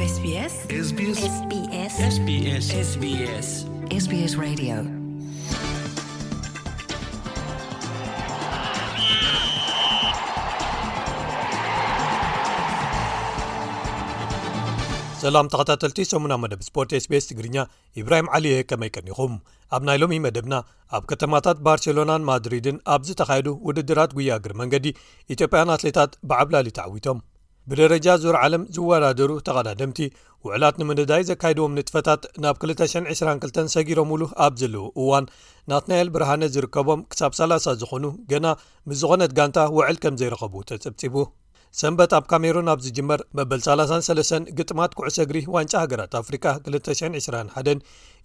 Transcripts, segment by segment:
SBS SBS SBS SBS SBS SBS Radio. ሰላም ተኸታተልቲ ሰሙና መደብ ስፖርት SBS ትግርኛ፣ ኢብራሂም ዓሊ እየ። ከመይ ቀኒኹም? ኣብ ናይ ሎሚ መደብና፣ ኣብ ከተማታት ባርሴሎናን ማድሪድን ኣብ ዝተኻየዱ ውድድራት ጉያ እግሪ መንገዲ፣ ኢትዮጵያን ኣትሌታት ብዓብላሊ ተዓዊቶም። ብደረጃ ዙር ዓለም ዝወዳደሩ ተቐዳደምቲ፣ ውዕላት ንምንዳይ ዘካይድዎም ንጥፈታት ናብ ክልተ ሽሕን ዕስራን ክልተን ሰጊሮምሉ ኣብ ዘለዉ እዋን፣ ናትናኤል ብርሃነ ዝርከቦም ክሳብ ሰላሳ ዝኾኑ ገና ምስ ዝኾነት ጋንታ ውዕል ከም ዘይረኸቡ ተጸብጺቡ። ሰንበት ኣብ ካሜሩን ኣብ ዝጅመር መበል ሰላሳን ሰለስተን ግጥማት ኩዕሶ እግሪ ዋንጫ ሃገራት ኣፍሪቃ ክልተ ሽሕን ዕስራን ሓደን፣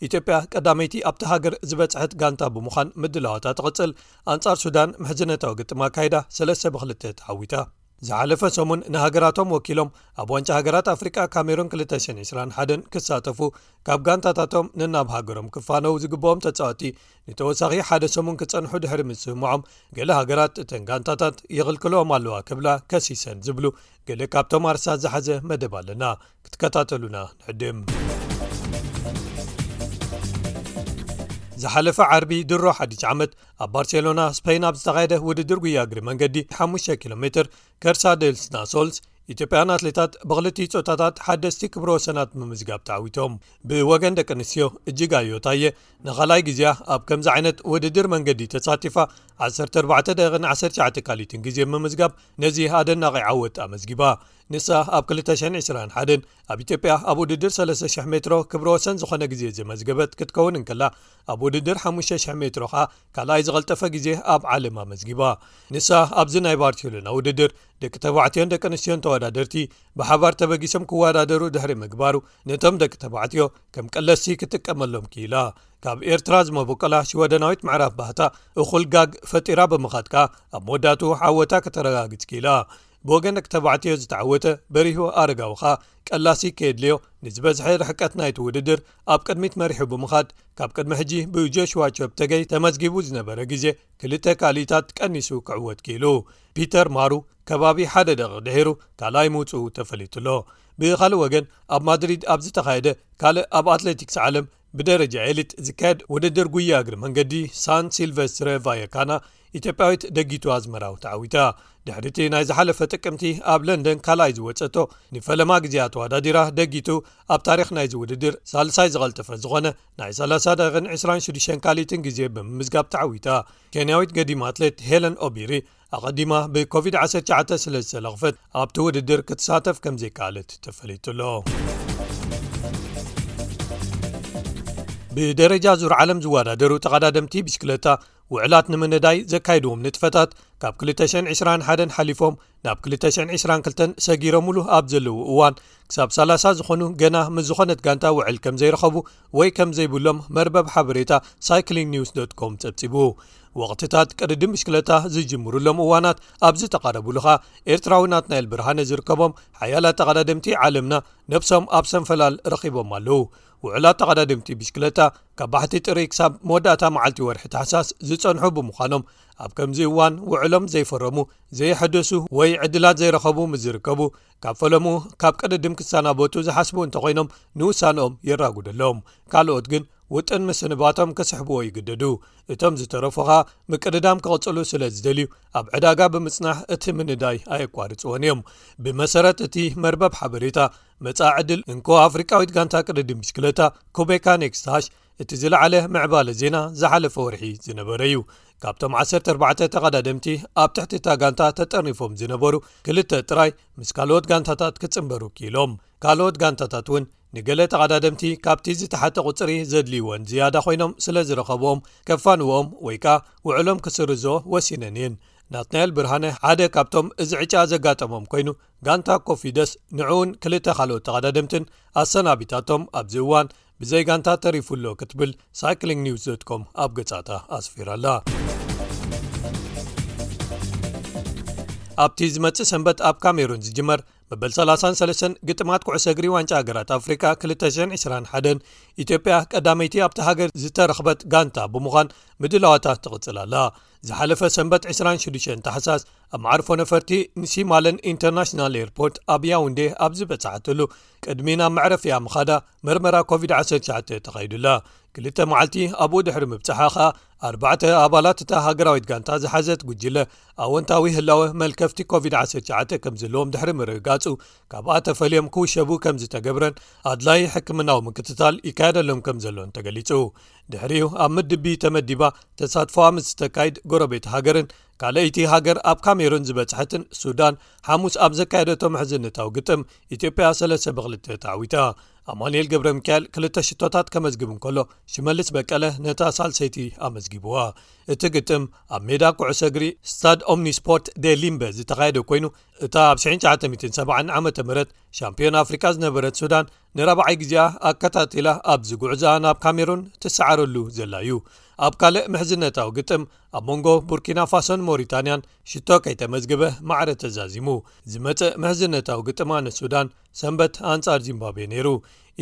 ኢትዮጵያ ቀዳመይቲ ኣብታ ሃገር ዝበጽሐት ጋንታ ብምዃን ምድላዋታ ትቕጽል። ኣንጻር ሱዳን ምሕዝነታዊ ግጥም ኣካይዳ ሰለስተ ብክልተ ተዓዊታ። ዝሓለፈ ሰሙን ንሃገራቶም ወኪሎም ኣብ ዋንጫ ሃገራት ኣፍሪቃ ካሜሩን ክልተ ሽሕን ዕስራን ሓደን ክሳተፉ፣ ካብ ጋንታታቶም ንናብ ሃገሮም ክፋነው ዝግብኦም ተጻወቲ ንተወሳኺ ሓደ ሰሙን ክጸንሑ ድሕሪ ምስምዖም፣ ገለ ሃገራት እተን ጋንታታት ይኽልክልኦም ኣለዋ ክብላ ከሲሰን ዝብሉ ገለ ካብቶም ኣርሳት ዝሓዘ መደብ ኣለና። ክትከታተሉና ንዕድም። ዝሓለፈ ዓርቢ ድሮ ሓድሽ ዓመት ኣብ ባርሴሎና ስፔን ኣብ ዝተኻየደ ውድድር ጉያ እግሪ መንገዲ ሓሙሽተ ኪሎ ሜትር ከርሳ ዴልስ ናሶልስ፣ ኢትዮጵያን ኣትሌታት ብክልቲኡ ጾታታት ሓደስቲ ክብረ ወሰናት ምምዝጋብ ተዓዊቶም። ብወገን ደቂ ኣንስትዮ፣ እጅጋዮ ታየ ንኻልኣይ ግዜያ ኣብ ከምዚ ዓይነት ውድድር መንገዲ ተሳቲፋ፣ ዓሰርተ ኣርባዕተ ደቂቕን ዓሰርተ ትሽዓተ ካልኢትን ግዜ ምምዝጋብ፣ ነዚ ኣደናቒ ዓወት ኣመዝጊባ። ንሳ ኣብ ክልተ ሽሕን ዕስራን ሓደን ኣብ ኢትዮጵያ ኣብ ውድድር ሰለስተ ሽሕ ሜትሮ ክብረ ወሰን ዝኾነ ግዜ ዘመዝገበት ክትከውን እንከላ፣ ኣብ ውድድር ሓሙሽተ ሽሕ ሜትሮ ኸኣ ካልኣይ ዝቐልጠፈ ግዜ ኣብ ዓለም ኣመዝጊባ። ንሳ ኣብዚ ናይ ባርሴሎና ውድድር ደቂ ተባዕትዮን ደቂ ኣንስትዮን ተወዳደርቲ ብሓባር ተበጊሶም ክወዳደሩ ድሕሪ ምግባሩ፣ ነቶም ደቂ ተባዕትዮ ከም ቀለስቲ ክትጥቀመሎም ክኢላ። ካብ ኤርትራ ዝመበቆላ ሽወደናዊት ምዕራፍ ባህታ እኹል ጋግ ፈጢራ ብምኻድ ከኣ፣ ኣብ መወዳእትኡ ዓወታ ከተረጋግጽ ክኢላ። ብወገን ደቂ ተባዕትዮ ዝተዓወተ በሪሁ ኣረጋዊ ኸኣ፣ ቀላሲ ከየድልዮ ንዝበዝሐ ርሕቀት ናይቲ ውድድር ኣብ ቅድሚት መሪሑ ብምኻድ፣ ካብ ቅድሚ ሕጂ ብጆሽዋ ቸፕተገይ ተመዝጊቡ ዝነበረ ግዜ ክልተ ካልኢታት ቀኒሱ ክዕወት ክኢሉ። ፒተር ማሩ ከባቢ ሓደ ደቂቕ ድሒሩ ካልኣይ ምውጽኡ ተፈሊጡ ኣሎ። ብኻልእ ወገን፣ ኣብ ማድሪድ ኣብ ዝተኻየደ ካልእ ኣብ ኣትሌቲክስ ዓለም ብደረጃ ኤሊት ዝካየድ ውድድር ጉያ እግሪ መንገዲ ሳን ሲልቨስትረ ቫየካና፣ ኢትዮጵያዊት ደጊቱ ኣዝመራው ተዓዊታ። ድሕሪቲ ናይ ዝሓለፈ ጥቅምቲ ኣብ ለንደን ካልኣይ ዝወጸቶ፣ ንፈለማ ግዜኣ ተወዳዲራ ደጊቱ ኣብ ታሪኽ ናይዚ ውድድር ሳልሳይ ዝቐልጠፈ ዝኾነ ናይ ሰላሳ ደቂቕን ዕስራን ሽዱሽተን ካልኢትን ግዜ ብምምዝጋብ ተዓዊታ። ኬንያዊት ገዲም ኣትሌት ሄለን ኦቢሪ፣ ኣቐዲማ ብኮቪድ ዓሰርተ ትሽዓተ ስለ ዝተለኽፈት፣ ኣብቲ ውድድር ክትሳተፍ ከም ዘይከኣለት ተፈሊጡ ኣሎ። ብደረጃ ዙር ዓለም ዝወዳደሩ ተቐዳደምቲ ብሽክለታ፣ ውዕላት ንምንዳይ ዘካይድዎም ንጥፈታት ካብ ክልተ ሽሕን ዕስራን ሓደን ሓሊፎም ናብ ክልተ ሽሕን ዕስራን ክልተን ሰጊሮምሉ ኣብ ዘለዉ እዋን፣ ክሳብ ሰላሳ ዝኾኑ ገና ምስ ዝኾነት ጋንታ ውዕል ከም ዘይረኸቡ ወይ ከም ዘይብሎም መርበብ ሓበሬታ ሳይክሊንግ ኒውስ ዶት ኮም ጸብጺቡ። ወቕትታት ቅድድም ብሽክለታ ዝጅምሩሎም እዋናት ኣብ ዝተቓረቡሉ ኸኣ፣ ኤርትራዊ ናትናኤል ብርሃነ ዝርከቦም ሓያላት ተቐዳደምቲ ዓለምና ነብሶም ኣብ ሰንፈላል ረኺቦም ኣለዉ። ውዕላት ተቐዳደምቲ ብሽክለታ ካብ ባሕቲ ጥሪ ክሳብ መወዳእታ መዓልቲ ወርሒ ታሕሳስ ዝጸንሑ ብምዃኖም፣ ኣብ ከምዚ እዋን ውዕሎም ዘይፈረሙ፣ ዘየሐደሱ ወይ ዕድላት ዘይረኸቡ ምስ ዝርከቡ፣ ካብ ፈለሙ ካብ ቅድድም ክሰናበቱ ዝሓስቡ እንተኾይኖም፣ ንውሳንኦም የራጉደሎም። ካልኦት ግን ውጥን ምስንባቶም ክስሕብዎ ይግደዱ። እቶም ዝተረፉ ኸኣ ምቅድዳም ክቕጽሉ ስለ ዝደልዩ፣ ኣብ ዕዳጋ ብምጽናሕ እቲ ምንዳይ ኣየቋርጽዎን እዮም። ብመሰረት እቲ መርበብ ሓበሬታ፣ መጻኢ ዕድል እንኮ ኣፍሪቃዊት ጋንታ ቅድድም ብሽክለታ ኩቤካ ኔክስት ሃሽ፣ እቲ ዝለዓለ ምዕባለ ዜና ዝሓለፈ ወርሒ ዝነበረ እዩ። ካብቶም ዓሰርተ ኣርባዕተ ተቐዳደምቲ ኣብ ትሕቲ እታ ጋንታ ተጠርኒፎም ዝነበሩ ክልተ ጥራይ ምስ ካልኦት ጋንታታት ክጽንበሩ ክኢሎም። ካልኦት ጋንታታት እውን ንገለ ተቐዳደምቲ ካብቲ ዝተሓተ ቁጽሪ ዘድልይወን ዝያዳ ኮይኖም ስለ ዝረኸብዎም፣ ከፋንዎም ወይ ከኣ ውዕሎም ክስርዝኦ ወሲነን እየን። ናትናኤል ብርሃነ ሓደ ካብቶም እዚ ዕጫ ዘጋጠሞም ኮይኑ፣ ጋንታ ኮፊደስ ንዕኡን ክልተ ካልኦት ተቐዳደምትን ኣሰናቢታቶም ኣብዚ እዋን ብዘይ ጋንታ ተሪፉ ኣሎ ክትብል ሳይክሊንግ ኒውስ ዶት ኮም ኣብ ገጻታ ኣስፊራ ኣላ። ኣብቲ ዝመጽእ ሰንበት ኣብ ካሜሩን ዝጅመር መበል ሰላሳን ሰለስተን ግጥማት ኩዕሶ እግሪ ዋንጫ ሃገራት ኣፍሪቃ ክልተ ሽሕን ዕስራን ሓደን፣ ኢትዮጵያ ቀዳመይቲ ኣብቲ ሃገር ዝተረኽበት ጋንታ ብምዃን ምድላዋታ ትቕጽል ኣላ። ዝሓለፈ ሰንበት ዕስራን ሽዱሽተን ታሕሳስ ኣብ መዓርፎ ነፈርቲ ንሲማለን ኢንተርናሽናል ኤርፖርት ኣብ ያውንዴ ኣብ ዝበጻሓትሉ ቅድሚ ናብ መዕረፊያ ምኻዳ መርመራ ኮቪድ ዓሰርተ ትሽዓተ ተኻይዱላ። ክልተ መዓልቲ ኣብኡ ድሕሪ ምብጻሓ ኸኣ ኣርባዕተ ኣባላት እታ ሃገራዊት ጋንታ ዝሓዘት ጉጅለ ኣወንታዊ ህላወ መልከፍቲ ኮቪድ ዓሰርተ ትሽዓተ ከም ዘለዎም ድሕሪ ምርግጋጹ ካብኣ ተፈልዮም ክውሸቡ ከም ዝተገብረን ኣድላይ ሕክምናዊ ምክትታል ይካየደሎም ከም ዘሎን ተገሊጹ። ድሕሪኡ ኣብ ምድቢ ተመዲባ ተሳትፎኣ ምስ ዝተካይድ ጎረቤት ሃገርን ካልኣይቲ ሃገር ኣብ ካሜሩን ዝበጽሐትን ሱዳን ሓሙስ ኣብ ዘካየደቶ ምሕዝነታዊ ግጥም ኢትዮጵያ ሰለስተ ብክልተ ተዓዊታ። ኣማኑኤል ገብረ ሚካኤል ክልተ ሽቶታት ከመዝግብ እንከሎ ሽመልስ በቀለ ነታ ሳልሰይቲ ኣመዝጊብዋ። እቲ ግጥም ኣብ ሜዳ ኩዕሶ እግሪ ስታድ ኦምኒስፖርት ዴ ሊምበ ዝተኻየደ ኮይኑ እታ ኣብ ሽሕን ትሽዓተ ሚእትን ሰብዓን ዓመተ ምህረት ሻምፒዮን ኣፍሪቃ ዝነበረት ሱዳን ንራብዓይ ግዜኣ ኣከታቲላ ኣብዚ ጉዕዞኣ ናብ ካሜሩን ትሰዓረሉ ዘላ እዩ። ኣብ ካልእ ምሕዝነታዊ ግጥም ኣብ መንጎ ቡርኪና ፋሶን ሞሪታንያን ሽቶ ከይተመዝግበ ማዕረ ተዛዚሙ። ዝመጽእ ምሕዝነታዊ ግጥማ ንሱዳን ሰንበት ኣንጻር ዚምባብዌ ነይሩ።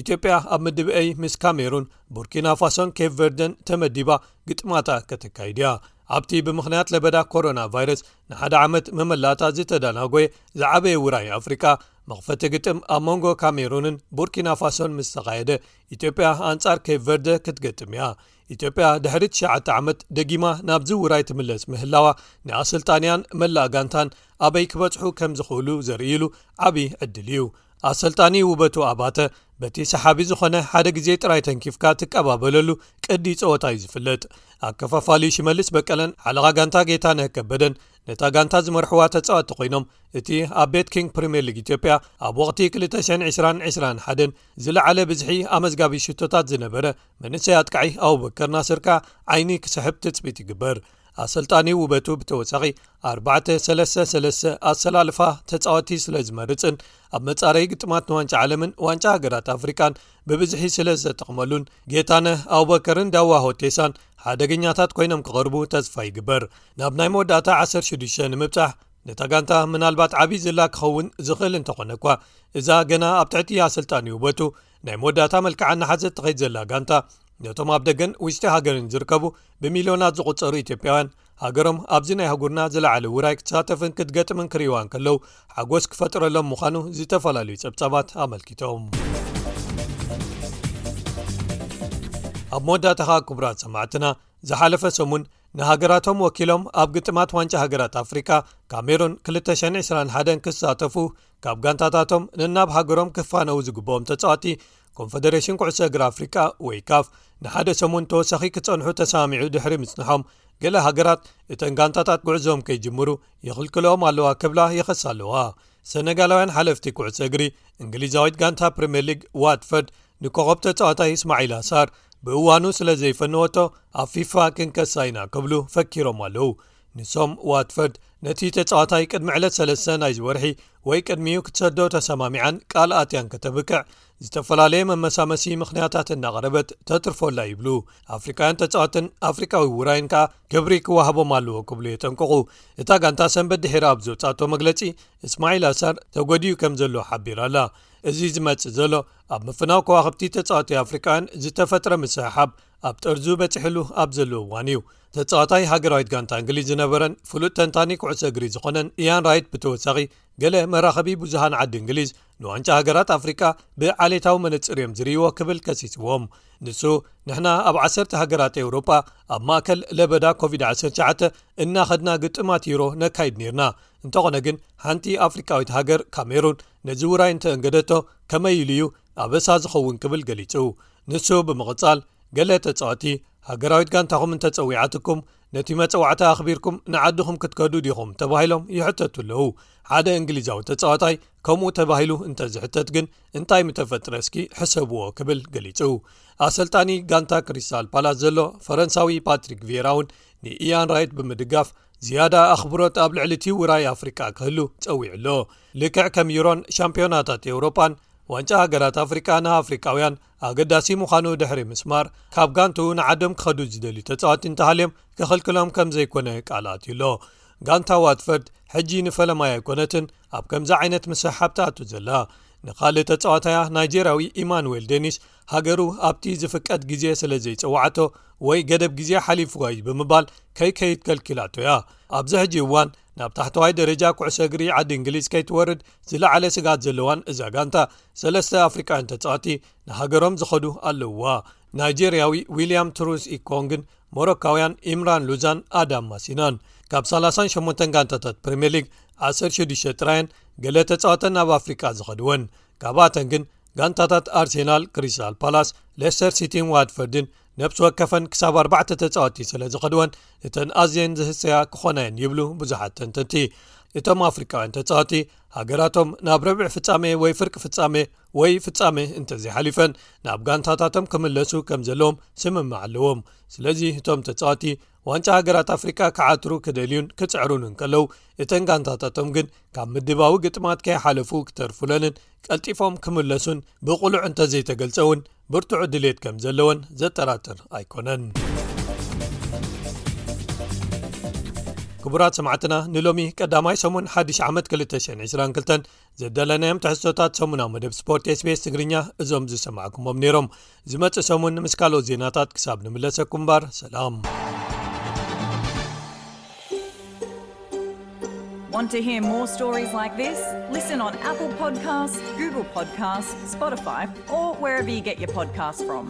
ኢትዮጵያ ኣብ ምድብ ኤ ምስ ካሜሩን፣ ቡርኪና ፋሶን ኬፕ ቨርደን ተመዲባ ግጥማታ ከተካይድ እያ። ኣብቲ ብምኽንያት ለበዳ ኮሮና ቫይረስ ንሓደ ዓመት መመላእታ ዝተዳናጎየ ዝዓበየ ውራይ ኣፍሪቃ መኽፈቲ ግጥም ኣብ መንጎ ካሜሩንን ቡርኪና ፋሶን ምስ ተኻየደ ኢትዮጵያ ኣንጻር ኬፕ ቨርደ ክትገጥም እያ። ኢትዮጵያ ድሕሪ ትሽዓተ ዓመት ደጊማ ናብዚ ውራይ ትምለስ ምህላዋ ንኣሰልጣንያን መላእ ጋንታን ኣበይ ክበጽሑ ከም ዝኽእሉ ዘርእይሉ ዓቢ ዕድል እዩ። ኣሰልጣኒ ውበቱ ኣባተ በቲ ሰሓቢ ዝኾነ ሓደ ግዜ ጥራይ ተንኪፍካ ትቀባበለሉ ቅዲ ጸወታ እዩ ዝፍለጥ። ኣከፋፋሊ ሽመልስ በቀለን ሓለቓ ጋንታ ጌታነህ ከበደን ነታ ጋንታ ዝመርሕዋ ተጻወቲ ኮይኖም እቲ ኣብ ቤት ኪንግ ፕሪምየር ሊግ ኢትዮጵያ ኣብ ወቕቲ ክልተ ሽሕን ዕስራን ዕስራን ሓደን ዝለዓለ ብዝሒ ኣመዝጋቢ ሽቶታት ዝነበረ መንእሰይ ኣጥቃዒ ኣቡበከር ናስር ከኣ ዓይኒ ክስሕብ ትጽቢት ይግበር። ኣሰልጣኒ ውበቱ ብተወሳኺ ኣርባዕተ ሰለስተ ሰለስተ ኣሰላልፋ ተጻወቲ ስለ ዝመርጽን ኣብ መጻረይ ግጥማት ንዋንጫ ዓለምን ዋንጫ ሃገራት ኣፍሪቃን ብብዝሒ ስለ ዘጠቕመሉን ጌታነህ ኣቡበከርን ዳዋ ሆቴሳን ሓደገኛታት ኮይኖም ክቐርቡ ተስፋ ይግበር። ናብ ናይ መወዳእታ ዓሰርተ ሽዱሽተ ንምብጻሕ ነታ ጋንታ ምናልባት ዓቢ ዝላ ክኸውን ዝኽእል እንተኾነ እኳ እዛ ገና ኣብ ትሕቲ ኣሰልጣኒ ውበቱ ናይ መወዳእታ መልክዓ እናሓዘት ትኸይድ ዘላ ጋንታ ነቶም ኣብ ደገን ውሽጢ ሃገርን ዝርከቡ ብሚልዮናት ዝቑጸሩ ኢትዮጵያውያን ሃገሮም ኣብዚ ናይ ኣህጉርና ዝለዓለ ውራይ ክትሳተፍን ክትገጥምን ክርእይዋ እንከለዉ ሓጎስ ክፈጥረሎም ምዃኑ ዝተፈላለዩ ጸብጻባት ኣመልኪቶም። ኣብ መወዳእታ ኸኣ ክቡራት ሰማዕትና ዝሓለፈ ሰሙን ንሃገራቶም ወኪሎም ኣብ ግጥማት ዋንጫ ሃገራት ኣፍሪቃ ካሜሩን ክልተ ሽሕን ዕስራን ሓደን ክሳተፉ ካብ ጋንታታቶም ነናብ ሃገሮም ክፋነዉ ዝግብኦም ተጻዋቲ ኮንፈደሬሽን ኩዕሶ እግሪ ኣፍሪቃ ወይ ካፍ ንሓደ ሰሙን ተወሳኺ ክጸንሑ ተሰማሚዑ ድሕሪ ምጽንሖም ገለ ሃገራት እተን ጋንታታት ጉዕዞም ከይጅምሩ ይኽልክልኦም ኣለዋ ክብላ ይኸሳ ኣለዋ። ሰነጋላውያን ሓለፍቲ ኩዕሶ እግሪ እንግሊዛዊት ጋንታ ፕሪምየር ሊግ ዋትፈርድ ንኮኸብ ተጻዋታይ እስማዒል ኣሳር ብእዋኑ ስለ ዘይፈነወቶ ኣብ ፊፋ ክንከሳ ኢና ክብሉ ፈኪሮም ኣለዉ። ንሶም ዋትፈርድ ነቲ ተጻዋታይ ቅድሚ ዕለት ሰለስተ ናይዚ ወርሒ ወይ ቅድሚኡ ክትሰዶ ተሰማሚዓን ቃል ኣትያን ከተብቅዕ ዝተፈላለየ መመሳመሲ ምኽንያታት እናቕረበት ተትርፎላ ይብሉ። ኣፍሪቃውያን ተጻዋትን ኣፍሪቃዊ ውራይን ከኣ ክብሪ ክወሃቦም ኣለዎ ክብሉ የጠንቅቑ። እታ ጋንታ ሰንበት ድሒራ ኣብ ዘውጻእቶ መግለጺ እስማዒል ኣሳር ተጎዲኡ ከም ዘሎ ሓቢራ ኣላ። እዚ ዝመጽእ ዘሎ ኣብ ምፍናው ከዋኽብቲ ተጻወቲ ኣፍሪቃውያን ዝተፈጥረ ምስሕሓብ ኣብ ጠርዙ በጺሕሉ ኣብ ዘሎ እዋን እዩ። ተጻዋታይ ሃገራዊት ጋንታ እንግሊዝ ዝነበረን ፍሉጥ ተንታኒ ኩዕሶ እግሪ ዝኾነን ኢያን ራይት ብተወሳኺ ገለ መራኸቢ ብዙሃን ዓዲ እንግሊዝ ንዋንጫ ሃገራት ኣፍሪቃ ብዓሌታዊ መነጽር እዮም ዝርእይዎ ክብል ከሲስዎም። ንሱ ንሕና ኣብ ዓሰርተ ሃገራት ኤውሮጳ ኣብ ማእከል ለበዳ ኮቪድ ዓሰርተ ትሽዓተ እናኸድና ግጥማት ዩሮ ነካይድ ኔርና። እንተኾነ ግን ሓንቲ ኣፍሪቃዊት ሃገር ካሜሩን ነዚ ውራይ እንተእንገደቶ ከመይ ኢሉ እዩ ኣበሳ ዝኸውን ክብል ገሊጹ። ንሱ ብምቕጻል ገለ ተጻወቲ ሃገራዊት ጋንታኹም እንተጸዊዓትኩም ነቲ መጸዋዕታ ኣኽቢርኩም ንዓድኹም ክትከዱ ዲኹም ተባሂሎም ይሕተቱ ኣለዉ። ሓደ እንግሊዛዊ ተጻዋታይ ከምኡ ተባሂሉ እንተዝሕተት ግን እንታይ ምተፈጥረ እስኪ ሕሰብዎ ክብል ገሊጹ። ኣሰልጣኒ ጋንታ ክሪስታል ፓላስ ዘሎ ፈረንሳዊ ፓትሪክ ቪየራ እውን ንኢያን ራይት ብምድጋፍ ዝያዳ ኣኽብሮት ኣብ ልዕሊ እቲ ውራይ ኣፍሪቃ ክህሉ ጸዊዑ ኣሎ። ልክዕ ከም ዩሮን ሻምፒዮናታት ኤውሮጳን ዋንጫ ሃገራት ኣፍሪቃ ንኣፍሪቃውያን ኣገዳሲ ምዃኑ ድሕሪ ምስማር ካብ ጋንትኡ ንዓዶም ክኸዱ ዝደልዩ ተጻወቲ እንተሃልዮም ክኽልክሎም ከም ዘይኮነ ቃል ኣትዩ ኣሎ። ጋንታ ዋትፈርድ ሕጂ ንፈለማይ ኣይኮነትን ኣብ ከምዚ ዓይነት ምስሕሓብ ትኣቱ ዘላ። ንኻልእ ተጻዋታያ ናይጄርያዊ ኢማኑኤል ዴኒስ ሃገሩ ኣብቲ ዝፍቀድ ግዜ ስለ ዘይጸዋዓቶ ወይ ገደብ ግዜ ሓሊፍዋ እዩ ብምባል ከይከይድ ከልኪላቶ እያ። ኣብዚ ሕጂ እዋን ናብ ታሕተዋይ ደረጃ ኩዕሶ እግሪ ዓዲ እንግሊዝ ከይትወርድ ዝለዓለ ስግኣት ዘለዋን እዛ ጋንታ፣ ሰለስተ ኣፍሪቃውያን ተጻወቲ ንሃገሮም ዝኸዱ ኣለውዋ። ናይጄርያዊ ዊልያም ትሩስ ኢኮንግን ሞሮካውያን ኢምራን ሉዛን ኣዳም ማሲናን። ካብ ሰላሳን ሸሞንተን ጋንታታት ፕሪምየር ሊግ ዓሰርተ ሽዱሽተ ጥራየን ገለ ተጻወተን ናብ ኣፍሪቃ ዝኸድወን። ካብኣተን ግን ጋንታታት ኣርሴናል፣ ክሪስታል ፓላስ፣ ሌስተር ሲቲን ዋትፈርድን ነብሲ ወከፈን ክሳብ ኣርባዕተ ተጻወቲ ስለ ዝኸድወን እተን ኣዝየን ዝህሰያ ክኾና እየን ይብሉ ብዙሓት ተንተንቲ። እቶም ኣፍሪቃውያን ተጻወቲ ሃገራቶም ናብ ረብዒ ፍጻሜ ወይ ፍርቂ ፍጻሜ ወይ ፍጻሜ እንተዘይሓሊፈን ናብ ጋንታታቶም ክምለሱ ከም ዘለዎም ስምምዕ ኣለዎም። ስለዚ እቶም ተጻወቲ ዋንጫ ሃገራት ኣፍሪቃ ክዓትሩ ክደልዩን ክጽዕሩን እንከለዉ፣ እተን ጋንታታቶም ግን ካብ ምድባዊ ግጥማት ከይሓለፉ ክተርፉለንን ቀልጢፎም ክምለሱን ብቕሉዕ እንተዘይተገልጸ እውን ብርቱዕ ድሌት ከም ዘለወን ዘጠራጥር ኣይኮነን። ክቡራት ሰማዕትና፣ ንሎሚ ቀዳማይ ሰሙን ሓድሽ ዓመት ክልተ ሽሕን ዕስራን ክልተን ዘዳለናዮም ትሕዝቶታት ሰሙናዊ መደብ ስፖርት ኤስቢኤስ ትግርኛ እዞም ዝሰማዕኩሞም ነይሮም። ዝመጽእ ሰሙን ምስ ካልኦት ዜናታት ክሳብ ንምለሰኩም እምበር፣ ሰላም። Want to hear more stories like this? Listen on Apple Podcasts, Google Podcasts, Spotify, or wherever you get your podcasts from.